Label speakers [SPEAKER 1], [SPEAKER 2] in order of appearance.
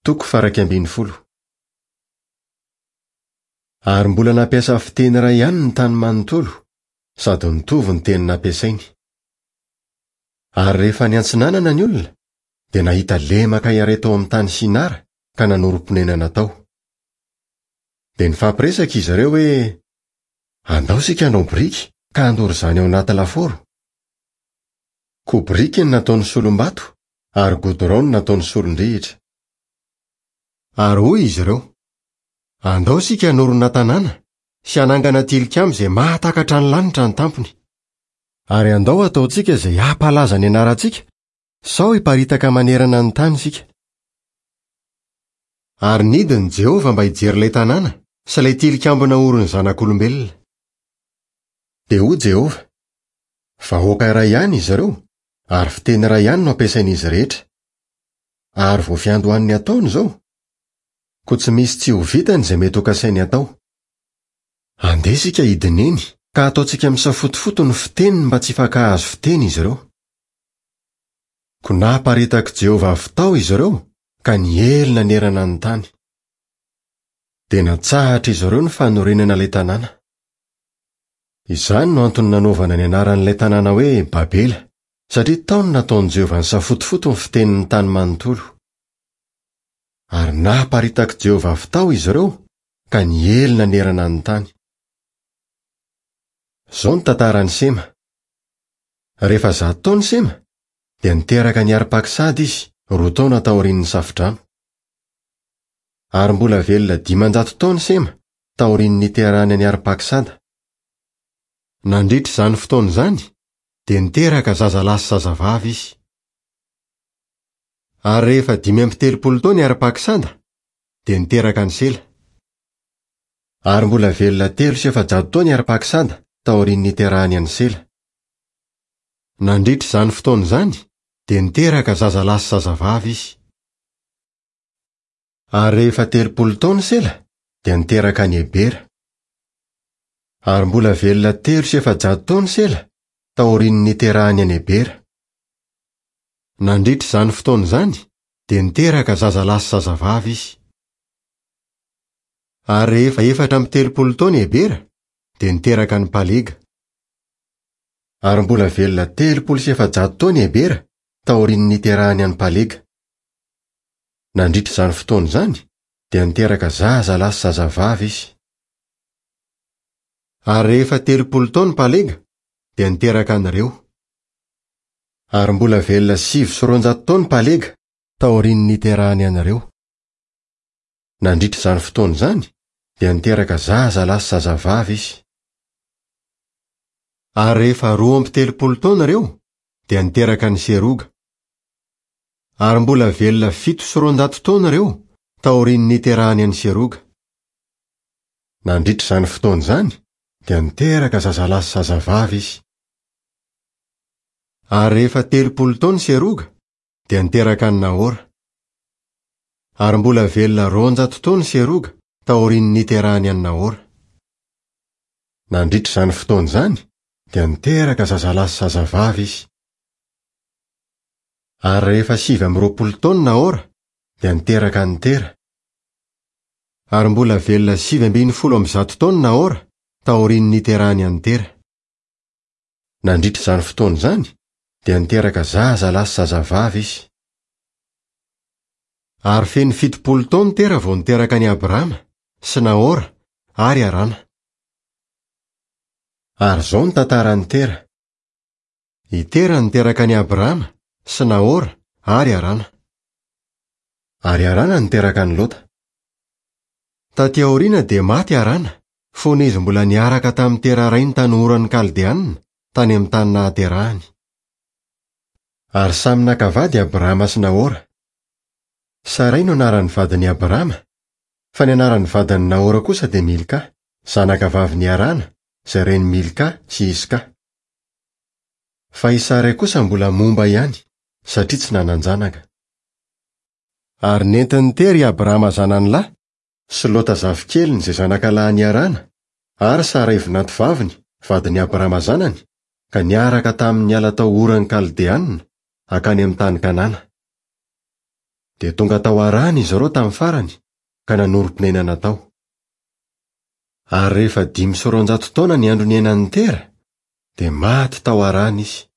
[SPEAKER 1] Toko faha-11. Ary mbola nampiasa fiteny iray ihany ny tany manontolo, sady nitovy ny teny nampiasainy. Ary rehefa niantsinanana ny olona, dia nahita lemaka iray tao amin'ny tany Sinara ka nanorim-ponenana tao. Dia nifampiresaka izy ireo hoe, Andao isika hanao biriky ka handoro izany ao anaty lafaoro. Koa biriky no nataony solom-bato ary godorao no nataony solon-drihitra. Ary hoy izy ireo, Andao isika hanorina tanàna sy hanangana tilikambo izay mahatakatra ny lanitra ny tampony. Ary andao hataontsika izay hampalaza ny anarantsika, sao hiparitaka manerana ny tany isika. Ary nidina i Jehovah mba hijery ilay tanàna sy ilay tilikambo naorin'ny zanak'olombelona. Dia hoy Jehovah, Vahoaka iray ihany izy ireo, ary fiteny iray ihany no ampiasain'izy rehetra. Ary vao fiandohan'ny ataony izao. Koa tsy misy tsy ho vitany izay mety hokasainy hatao. Andeha isika hidina eny, ka hataontsika misafotofoto ny fiteniny mba tsy hifankahazo fiteny izy ireo. Koa naparitak'i Jehovah avy tao izy ireo, ka niely nanerana ny tany. Dia natsahatr'izy ireo ny fanorenana ilay tanàna. Izany no antony nanaovana ny anaran'ilay tanàna hoe Babela, satria tao no nataon'i Jehovah nisafotofoto ny fitenin'ny tany manontolo. Ary naparitak'i Jehovah avy tao izy ireo, ka niely nanerana ny tany. Izao ny tantaran'i Sema. Rehefa 100 taona i Sema, dia niteraka an'i Arpaksada izy, roa taona taorian'ny Safodrano. Ary mbola velona 500 taona i Sema, taorian'ny niterahany an'i Arpaksada. Nandritra izany fotoana izany, dia niteraka zazalahy sy zazavavy izy. Ary rehefa 35 taona i Arpaksada, dia niteraka an'i Sela. Ary mbola velona 403 taona i Arpaksada taorian'ny niterahany an'i Sela. Nandritra izany fotoana izany, dia niteraka zazalahy sy zazavavy izy. Ary rehefa 30 taona i Sela, dia niteraka an'i Ebera. Ary mbola velona 403 taona i Sela taorian'ny niterahany an'i Ebera. Nandritra izany fotoana izany, dia niteraka zazalahy sy zazavavy izy. Ary rehefa 34 taona i Ebera, dia niteraka an'i Palega. Ary mbola velona 430 taona i Ebera taorian'ny niterahany an'i Palega. Nandritra izany fotoana izany, dia niteraka zazalahy sy zazavavy izy. Ary rehefa 30 taona i Palega, dia niteraka an'i Reo. Ary mbola velona 209 taona i Palega taorian'ny niterahany an'i Reo. Nandritra izany fotoana izany, dia niteraka zazalahy sy zazavavy izy. Ary rehefa 32 taona Reo, dia niteraka an'i Seroga. Ary mbola velona 207 taona Reo taorian'ny niterahany an'i Seroga. Nandritra izany fotoana izany, dia niteraka zazalahy sy zazavavy izy. Ary rehefa 30 taona i Seroga, dia niteraka an'i Nahora. Ary mbola velona 200 taona i Seroga taorian'ny niterahany an'i Nahora. Nandritra izany fotoana izany, dia niteraka zazalahy sy zazavavy izy. Ary rehefa 29 taona Nahora, dia niteraka an'i Tera. Ary mbola velona 119 taona Nahora taorian'ny niterahany an'i Tera. Nandritra izany fotoana izany, dia niteraka zazalahy sy zazavavy izy. Ary feno 70 taona Tera vao niteraka an'i Abrama, sy Nahora, ary Harana. Ary izao ny tantaran'i Tera. I Tera niteraka an'i Abrama, sy Nahora, ary Harana. Ary Harana niteraka an'i Lota. Taty aoriana dia maty Harana, fony izy mbola niaraka tamin'i Tera rainy tany Oran'ny Kaldeana, tany amin'ny tany nahaterahany. Ary samy naka vady Abrama sy Nahora. Saray no anaran'ny vadin'i Abrama, fa ny anaran'ny vadin'i Nahora kosa dia Milka, zanaka vavin'i Harana, izay rain'i Milka sy Iska. Fa i Saray kosa mbola momba ihany, satria tsy nanan-janaka. Ary nentin'i Tera i Abrama zanany lahy, sy Lota zafikeliny izay zanaka lahin'i Harana, ary Saray vinantovaviny, vadin'i Abrama zanany, ka niaraka taminy niala tao Oran'ny Kaldeana, hankany amin'ny tany Kanana. Dia tonga tao Harana izy ireo tamin'ny farany, ka nanorim-ponenana tao. Ary rehefa 205 taona ny andro niainan'i Tera, dia maty tao Harana izy.